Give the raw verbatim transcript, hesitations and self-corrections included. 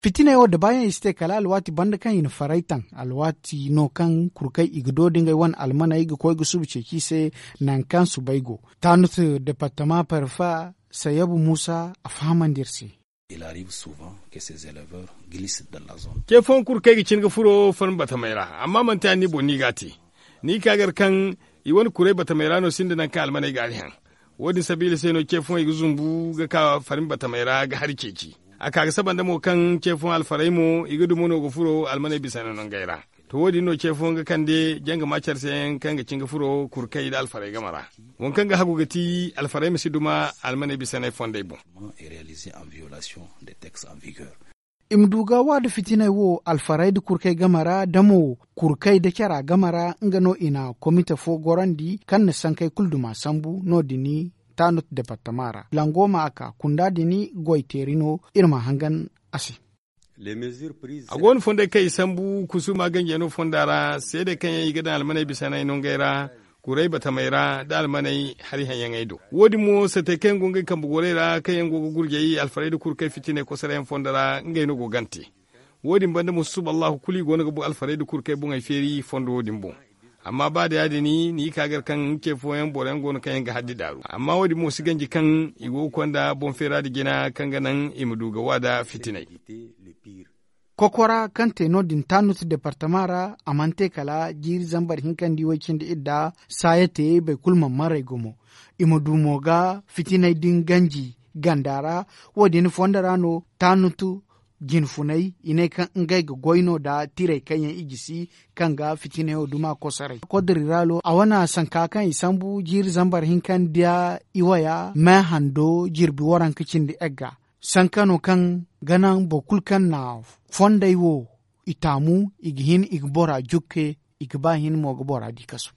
Fitiney wo dabaayaŋ i si te kala alwaati banda kaŋ i na faray taŋ, alwaati no kaŋ kurkey i ga do da ngey wane almaney ga koy ga suba ceeci i se. Nangu kaŋ subay go, taanut departama parfa, sayabu muusa a fahamandi iri se. Ce fooyaŋ kurkey ga cin ga furo farmi batamey ra, amma manti a ni boŋ no i g'a te. Ni ka gar kaŋ i wane kuray batamey ra no sinda nangu kaŋ almaney ga a dihaŋ. Wo- din sabiila se no ce fooyaŋ i ga zumbu ga ka farmi batamey ra ga hari ceeci. A ka ga saba nda mo kaŋ ce fooyaŋ alfarey mo i ga dumo no ga furo almaney bisanay nongey ra. To wo- din no ce fooyaŋ ga kande janga maacar se yaŋ kaŋ ga cin ga furo kurkey nda alfarey game ra. Waŋ kaŋ ga hagu ga ti alfarey ma si duma almaney bisanay fondey boŋ. I ma du ga wa nda fitiney wo alfarey nda kurkey game ra da mo kurkey nda cara game ra nga no i na komite fo gorandi kaŋ na sankey kulu duma sambu no- din taanut departama ra lango ma a ka kunda din goy teeri no. Iri ma hangan a se. A go no fondey kaŋ i sambu kusuma ganjey no fonda ra seedey kaŋ yaŋ i ga daŋ almaney bisanay nongey ra, kuray batamey ra nda almaney hari haŋyaŋey do. Wo- din mo satey kaŋ yaŋ go ngey kambe gorey ra kaŋ yaŋ go ga gurjay alfarey nda kurkey fitiney kosorayaŋ fondo ra ngey no go g'a te. Wo- din banda mo susuba allahu kulu i go no ga alfarey nda kurkey boŋey feeri fondo wo- din boŋ. Amma ba da ya- din ni ka gar kaŋ ce fooyaŋ boro yaŋ go no kaŋ yaŋ ga haddi daaru amma wo- din mo si ganji kaŋ i go ga konda boŋ feera nda jina kaŋ ga naŋ i ma du ga wa nda fitiney. Kokora kaŋ te no- din taanut departama ra a mana te kala jiiri zambar hinka nda i way cindi idda. Saaya te boro kulu mana maray gumo. I ma du mo ga fitiney din ganji ganda ra. Wo- din fondo ra no taanut jinfuney i ne kaŋ ngey ga goy no nda tirey kaŋ yaŋ i gisi kaŋ ga fitiney wo duma kosoray kodri ra lo a wane sanka kaŋ i sambu jiiri zambar hinka nda i waya me hando jirbi waranka cindi egga. Sanka no kaŋ ga naŋ boro kulu kaŋ na fondey wo i taamu i ga hin i ga bora jukke i ga ba hin mo ga bora di kasu.